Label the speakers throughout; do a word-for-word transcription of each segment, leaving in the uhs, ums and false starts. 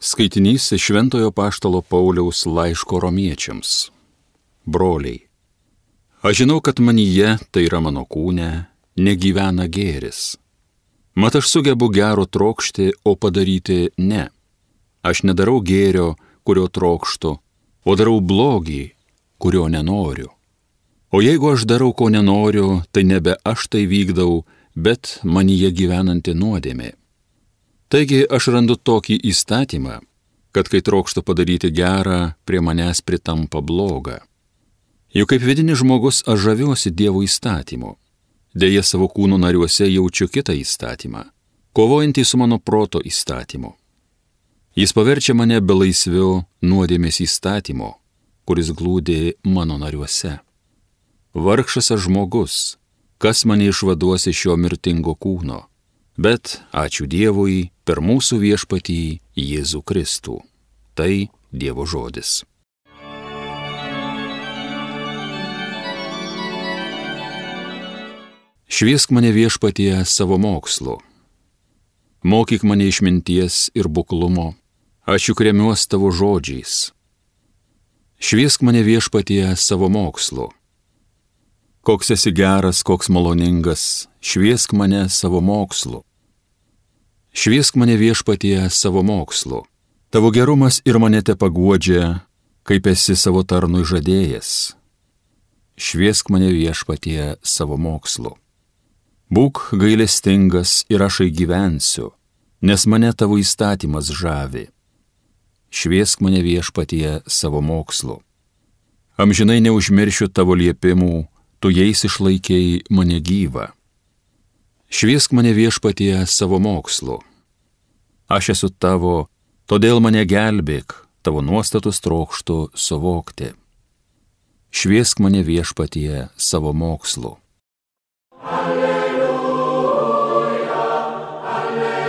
Speaker 1: Skaitinys iš Šventojo Apaštalo Pauliaus laiško romiečiams. Broliai, aš žinau, kad manyje, tai yra mano kūne, negyvena gėris. Mat aš sugebu gero trokšti, o padaryti ne. Aš nedarau gėrio, kurio trokštu, o darau blogį, kurio nenoriu. O jeigu aš darau, ko nenoriu, tai nebe aš tai vykdau, bet manyje gyvenanti nuodėmė. Taigi aš randu tokį įstatymą, kad kai trokštu padaryti gerą, prie manęs pritampa bloga. Juk kaip vidinis žmogus aš žaviuosi Dievo įstatymu. Deja savo kūno nariuose jaučiu kitą įstatymą, kovojantį su mano proto įstatymu. Jis paverčia mane belaisviu nuodėmės įstatymo, kuris glūdi mano nariuose. Vargšas aš žmogus, kas mane išvaduos iš šio mirtingo kūno. Bet, ačiū Dievui, per mūsų viešpatį Jėzų Kristų. Tai Dievo žodis. Šviesk mane viešpatie savo mokslu. Mokyk mane išminties ir buklumo, aš juk remiuos tavo žodžiais. Šviesk mane viešpatie savo mokslu. Koks esi geras, koks maloningas, šviesk mane savo mokslu. Šviesk mane viešpatie savo mokslu. Tavo gerumas ir mane te paguodžia, kaip esi savo tarnui žadėjęs. Šviesk mane viešpatie savo mokslu. Būk gailestingas ir aš gyvensiu, nes mane tavo įstatymas žavi. Šviesk mane viešpatie savo mokslu. Amžinai neužmiršiu tavo liepimų, tu jais išlaikei mane gyvą. Šviesk mane viešpatie savo mokslu. Aš esu tavo, todėl mane gelbėk, tavo nuostatus trokštu suvokti. Šviesk mane viešpatie savo mokslu. Alleluja, alleluja,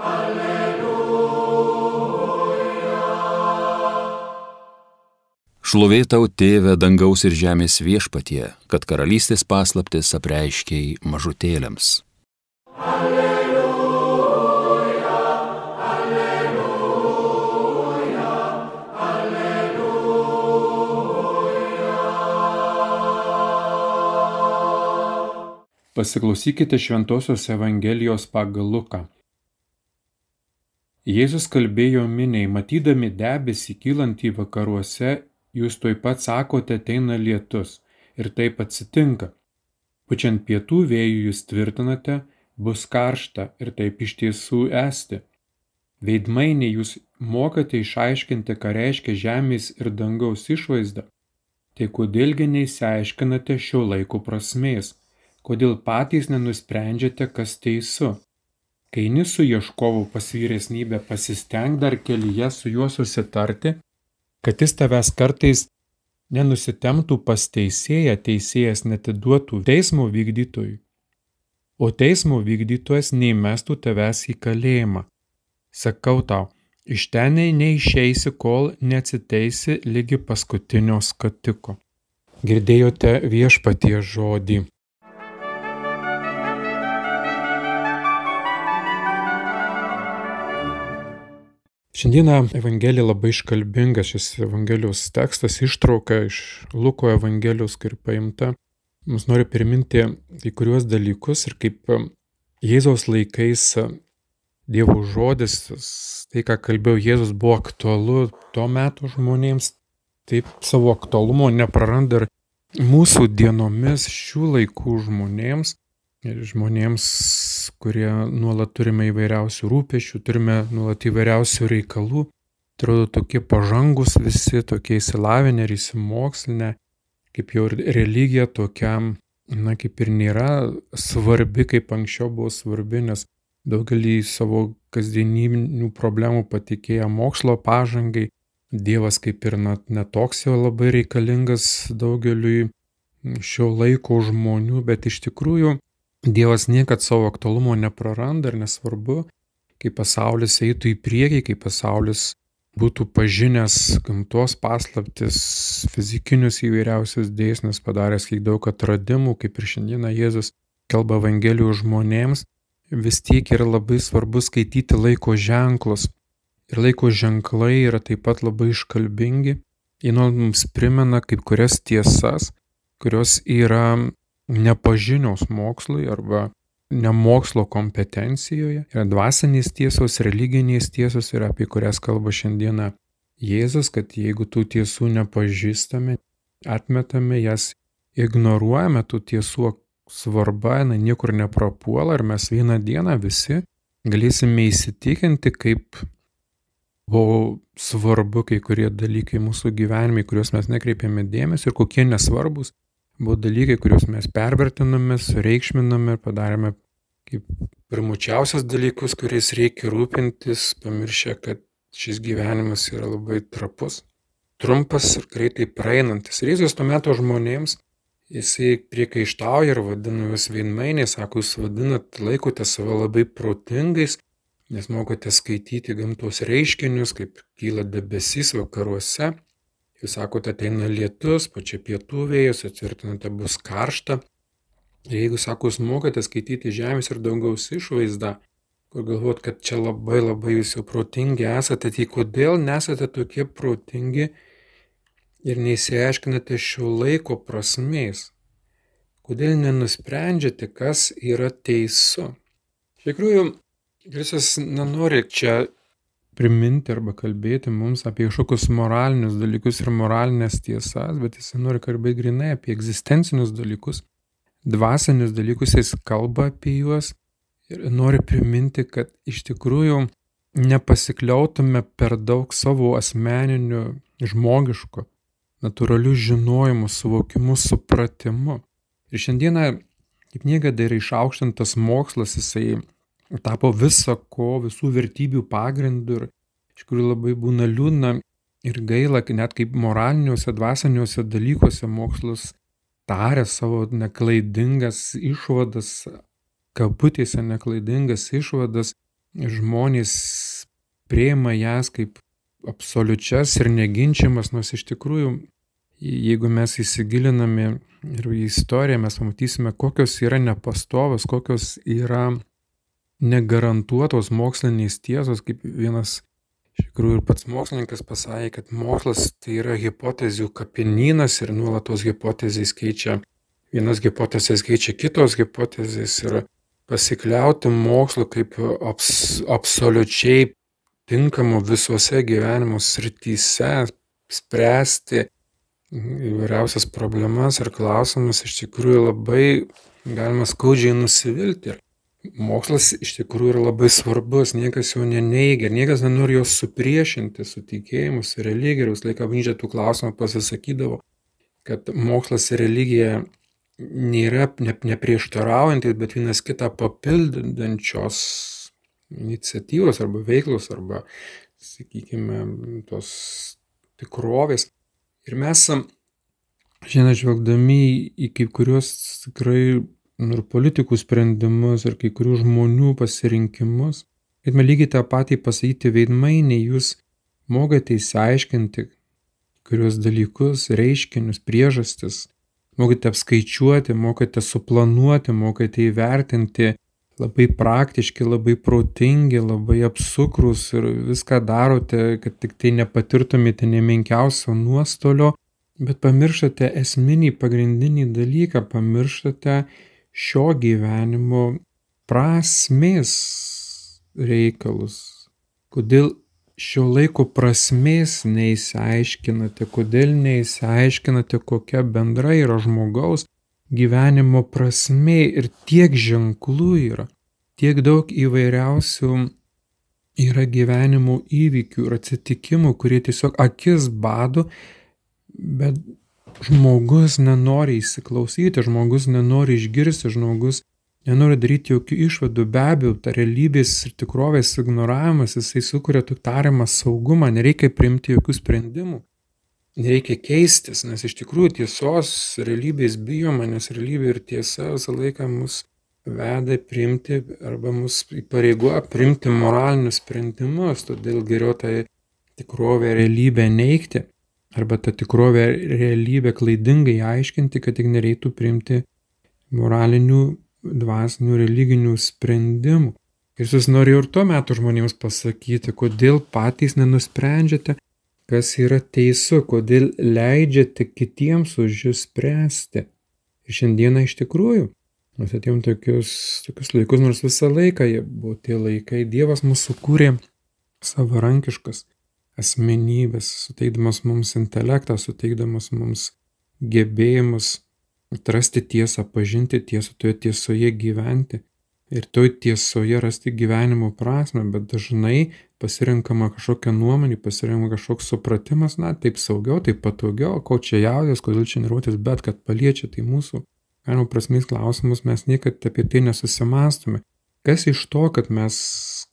Speaker 1: alleluja. Šlovė tau, Tėve, dangaus ir žemės viešpatie, kad karalystės paslaptis apreiškei mažutėliams. Alleluja, alleluja, alleluja.
Speaker 2: Pasiklausykite Šventosios Evangelijos pagal Luką. Jėzus kalbėjo miniai, matydami debesį kylantį vakaruose, jūs tuoj pat sakote, ateina lietus, ir taip atsitinka. Pučiant pietų vėjų jūs tvirtinate, bus karšta, ir taip iš tiesų esti. Veidmainiai jūs mokate išaiškinti, ką reiškia žemės ir dangaus išvaizda. Tai kodėlgi neįsiaiškinate šio laiko prasmės, kodėl patys nenusprendžiate, kas teisu. Kai eini su ieškovu pas vyresnybę, pasistenk dar kelyje su juo susitarti, kad jis tavęs kartais nenusitemptų pas teisėją, teisėjas netiduotų teismo vykdytojui, o teismo vykdytojas neįmestų tavęs į kalėjimą. Sakau tau, iš ten neišeisi, kol neatsiteisi ligi paskutinio skatiko. Girdėjote viešpaties žodį. Šiandieną Evangelija labai iškalbinga, šis Evangelijos tekstas ištrauka iš Luko Evangelijos, kur paimta. Mums noriu priminti kai kuriuos dalykus ir kaip Jėzaus laikais Dievo žodis, tai ką kalbėjo Jėzus, buvo aktualu tuo metu žmonėms, taip savo aktualumo nepraranda ir mūsų dienomis šių laikų žmonėms. Ir žmonėms, kurie nuolat turime įvairiausių rūpesčių, turime nuolat įvairiausių reikalų, atrodo tokie pažangus visi, tokie įsilavinę ir įsimokslinę, kaip jau ir religija tokiam, na, kaip ir nėra svarbi, kaip anksčiau buvo svarbi, nes daugelį savo kasdieninių problemų patikėję mokslo pažangai, Dievas kaip ir netoks jau labai reikalingas daugeliui šio laiko žmonių, bet iš tikrųjų Dievas niekad savo aktualumo nepraranda ir nesvarbu, kai pasaulis eitų į priekį, kai pasaulis būtų pažinęs gamtos paslaptis, fizikinius įvairiausius dėsnius, padaręs kiek daug atradimų, kaip ir šiandieną Jėzus kalba Evangelijų žmonėms, vis tiek yra labai svarbu skaityti laiko ženklus. Ir laiko ženklai yra taip pat labai iškalbingi. Jie mums primena kaip kurias tiesas, kurios yra nepažinios mokslui arba ne mokslo kompetencijoje. Yra dvasinės tiesos, religinės tiesos ir apie kurias kalba šiandieną Jėzus, kad jeigu tų tiesų nepažįstame, atmetame jas, ignoruojame tų tiesų svarba, jinai niekur neprapuola ir mes vieną dieną visi galėsime įsitikinti, kaip buvo svarbu kai kurie dalykai mūsų gyvenime, kuriuos mes nekreipėme dėmesio ir kokie nesvarbus buvo dalykai, kuriuos mes pervertiname, sureikšminame ir padarėme kaip pirmučiausias dalykus, kuriais reikia rūpintis, pamiršę, kad šis gyvenimas yra labai trapus, trumpas ir greitai praeinantis. Ir Jėzus to meto žmonėms, jisai priekaištauja ir vadina juos veidmainiais, sako, jūs vadinat, laikote save labai protingais, nes mokote skaityti gamtos reiškinius, kaip kyla debesys vakaruose. Jūs sakote, ateina lietus, pačia pietų vėjas, atvirtinate, bus karšta. Ir jeigu, sako, jūs mokate skaityti žemės ir dangaus išvaizdą, kur galvot, kad čia labai labai jūs jau protingi esate, tai kodėl nesate tokie protingi ir neįsiaiškinate šio laiko prasmės? Kodėl nenusprendžiate, kas yra teisu? Iš tikrųjų, Kristus nenori čia priminti arba kalbėti mums apie kažkokius moralinius dalykus ir moralinės tiesas, bet jis nori kalbėti grinai apie egzistencinius dalykus, dvasinius dalykus, jis kalba apie juos. Ir nori priminti, kad iš tikrųjų nepasikliautume per daug savo asmeniniu, žmogišku, natūraliu žinojimu, suvokimu, supratimu. Ir šiandieną, kaip niekada, yra išaukštintas mokslas, jisai tapo visa ko, visų vertybių pagrindų ir iš tikrųjų labai būna liūdna ir gaila, net kaip moraliniuose, dvasiniuose dalykuose mokslas taria savo neklaidingas išvadas, kabutėse neklaidingas išvadas, žmonės priima jas kaip absoliučias ir neginčiamas, nors iš tikrųjų, jeigu mes įsigiliname ir į istoriją, mes pamatysime, kokios yra nepastovos, kokios yra negarantuotos mokslinės tiesos, kaip vienas iš tikrųjų ir pats mokslininkas pasakė, kad mokslas tai yra hipotezių kapinynas ir nuolatos hipotezės keičia, vienas hipotezės keičia kitos hipotezės ir pasikliauti mokslu kaip abs, absoliučiai tinkamu visuose gyvenimo srityse, spręsti įvairiausias problemas ir klausimus, iš tikrųjų labai galima skaudžiai nusivilti. Mokslas iš tikrųjų yra labai svarbus, niekas jo neneigia, niekas nenori jos supriešinti su tikėjimu, su religija, ir vis laiką Bažnyčia tų klausimų pasisakydavo, kad mokslas ir religija nėra ne, neprieštaraujantis, bet vienas kitą papildančios iniciatyvos arba veiklos arba, sakykime, tos tikrovės. Ir mes šiandien žvelgdami į kai kuriuos tikrai ir politikų sprendimus ir kai kurių žmonių pasirinkimus, galime lygiai tą patį pasakyti veidmainiai, jūs mokate įsiaiškinti kuriuos dalykus, reiškinius, priežastis, mokate apskaičiuoti, mokate suplanuoti, mokate įvertinti, labai praktiški, labai protingi, labai apsukrus ir viską darote, kad tik tai nepatirtumėte nemenkiausio nuostolio, bet pamirštate esminį pagrindinį dalyką, pamirštate šio gyvenimo prasmės reikalus. Kodėl šio laiko prasmės neįsiaiškinate, kodėl neįsiaiškinate, kokia bendra yra žmogaus gyvenimo prasmė ir tiek ženklų yra, tiek daug įvairiausių yra gyvenimo įvykių ir atsitikimų, kurie tiesiog akis bado, bet žmogus nenori įsiklausyti, žmogus nenori išgirsti, žmogus nenori daryti jokių išvadų. Be abejo, ta realybės ir tikrovės ignoravimas, jisai sukuria tik tariamą saugumą, nereikia priimti jokių sprendimų, nereikia keistis, nes iš tikrųjų tiesos realybės bijoma, nes realybė ir tiesa visą laiką mus veda priimti arba mus įpareigoja priimti moralinius sprendimus, todėl geriau tą tikrovę realybę neigti arba tą tikrovę realybę klaidingai aiškinti, kad tik nereiktų priimti moralinių dvasinių religinių sprendimų. Ir jis norėjo ir tuo metu žmonėms pasakyti, kodėl patys nenusprendžiate, kas yra teisu, kodėl leidžiate kitiems už jūs spręsti. Ir šiandieną iš tikrųjų, mes atėjom tokius, tokius laikus, nors visą laiką jie buvo tie laikai, Dievas mūsų kūrė savarankiškas asmenybės, suteikdamas mums intelektą, suteikdamas mums gebėjimus atrasti tiesą, pažinti tiesą, toje tiesoje gyventi ir toj tiesoje rasti gyvenimo prasme, bet dažnai pasirenkama kažkokia nuomonė, pasirenkama kažkoks supratimas, na, taip saugiau, taip patogiau, ko čia jaudės, kodėl čia nervuotis, bet kad paliečia tai mūsų gyvenimo prasmės klausimus, mes niekad apie tai nesusimąstome. Kas iš to, kad mes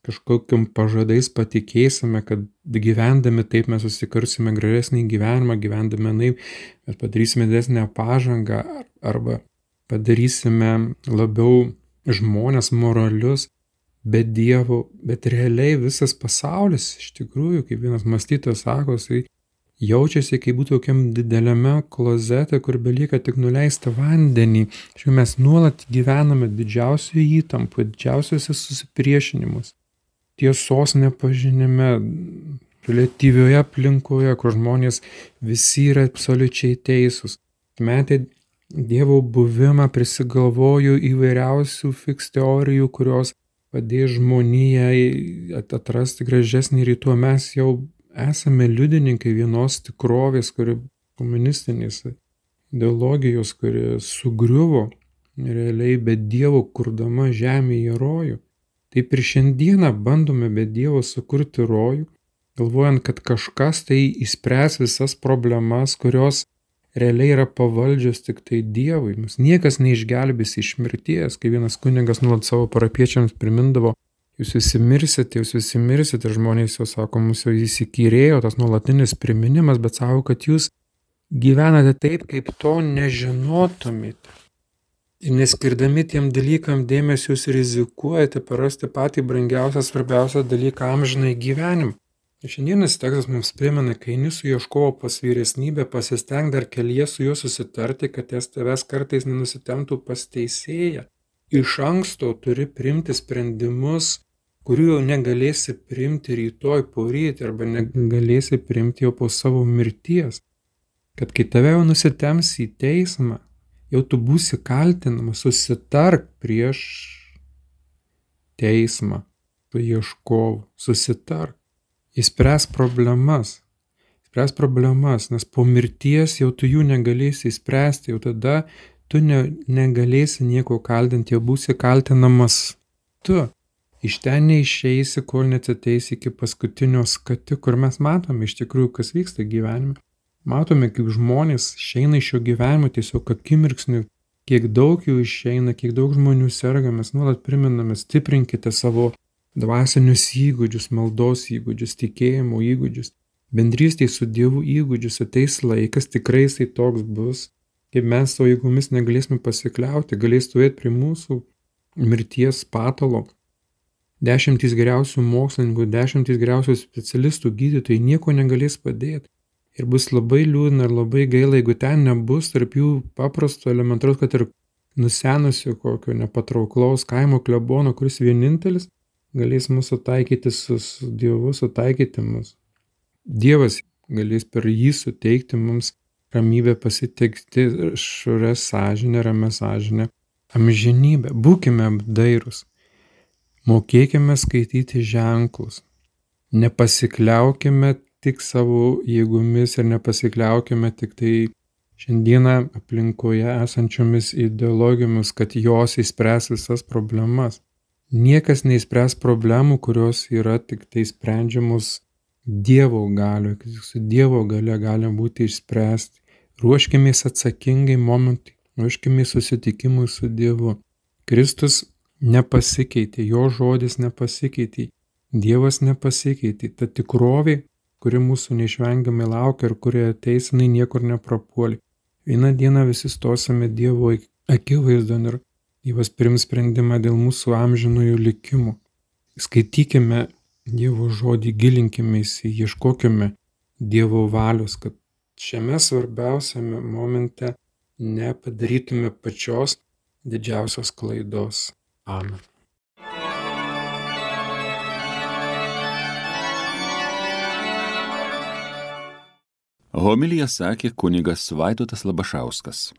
Speaker 2: kažkokiam pažadais patikėsime, kad gyvendami taip mes susikarsime gražesnį gyvenimą, gyvendami naip mes padarysime didesnę pažangą arba padarysime labiau žmonės moralius, be Dievo, bet realiai visas pasaulis, iš tikrųjų, kaip vienas mąstytojas sako, jisai jaučiasi, kaip būtų tokiam dideliame klozete, kur belieka tik nuleisti vandenį. Šiuo mes nuolat gyvename didžiausioje įtampoje, didžiausiuose susipriešinimus, tiesos nepažinime, relatyvioje aplinkoje, kur žmonės visi yra absoliučiai teisūs. Metė Dievo buvimą, prisigalvoju įvairiausių fiks teorijų, kurios padės žmonijai atrasti gražesnį rytų. Mes jau esame liudininkai vienos tikrovės, kuri komunistinės ideologijos, kuri sugriuvo realiai be Dievo kurdama žemėje rojų. Taip ir šiandieną bandome be Dievo sukurti rojų, galvojant, kad kažkas tai išspręs visas problemas, kurios realiai yra pavaldžios tik tai Dievui. Mus niekas neišgelbės iš mirties, kai vienas kunigas nuolat savo parapiečiams primindavo, jūs visi mirsite, jūs visi mirsite, ir žmonės jau sako, mus jau įsikyrėjo tas nuolatinis priminimas, bet sako, kad jūs gyvenate taip, kaip to nežinotumėte. Ir neskirdami tiem dalykam dėmesio, jūs rizikuojate parasti patį brangiausią, svarbiausią dalyką amžinai gyvenimą. Šiandienas tekstas mums primena, kai eini su ieškovo pas vyresnybę, pasisteng dar kelyje su juo susitarti, kad ties tavęs kartais nenusitemptų pas teisėją. Iš anksto turi priimti sprendimus, kurių jau negalėsi priimti rytoj poryt arba negalėsi priimti jau po savo mirties. Kad kai tave jau nusitemps į teismą, jau tu būsi kaltinamas, susitark prieš teismą, tu ieškovu, susitark. Įspręs problemas, įspręs problemas, nes po mirties jau tu jų negalėsi įspręsti, jau tada tu ne, negalėsi nieko kaltinti, jau būsi kaltinamas tu. Iš ten neišeisi, kol neatsiteisi iki paskutinio skati, kur mes matome iš tikrųjų, kas vyksta gyvenime. Matome, kaip žmonės išeina iš šio gyvenimo tiesiog akimirksniu, kiek daug jų išeina, kiek daug žmonių serga, mes nuolat priminame, stiprinkite savo dvasinius įgūdžius, maldos įgūdžius, tikėjimo įgūdžius, bendrystėj su Dievu įgūdžius. Ateis laikas, tikrai jisai toks bus, kaip mes savo jėgomis negalėsime pasikliauti, galės stovėti prie mūsų mirties patalo. Dešimtys geriausių mokslininkų, dešimtys geriausių specialistų, gydytojai nieko negalės padėti. Ir bus labai liūdna ir labai gaila, jeigu ten nebus tarp jų paprasto elementaraus, kad ir nusenusio kokio nepatrauklaus kaimo klebono, kuris vienintelis galės mūsų taikyti su, su Dievu, sutaikyti mus. Dievas galės per jį suteikti mums ramybę, pasitikti švarę sąžinę, ramę sąžinę, amžinybę. Būkime apdairūs, mokėkime skaityti ženklus, nepasikliaukime tik savo jėgomis ir nepasikliaukime tik tai šiandieną aplinkoje esančiomis ideologijomis, kad jos įspręs visas problemas. Niekas neįspręs problemų, kurios yra tik tai sprendžiamos Dievo galioje, kad su Dievo galia gali būti išspręsti. Ruoškimės atsakingai momentai, ruoškimės susitikimui su Dievu. Kristus nepasikeitė, jo žodis nepasikeitė, Dievas nepasikeitė. Ta tikrovė, kuri mūsų neišvengiamai laukia ir kuri ateis, jinai niekur neprapuolė. Vieną dieną visi stosime Dievo akivaizdon ir Dievas priims sprendimą dėl mūsų amžinųjų likimų. Skaitykime Dievo žodį, gilinkimės, ieškokime Dievo valios, kad šiame svarbiausiame momente nepadarytume pačios didžiausios klaidos. Amen.
Speaker 1: Homiliją sakė kunigas Vaidotas Labašauskas.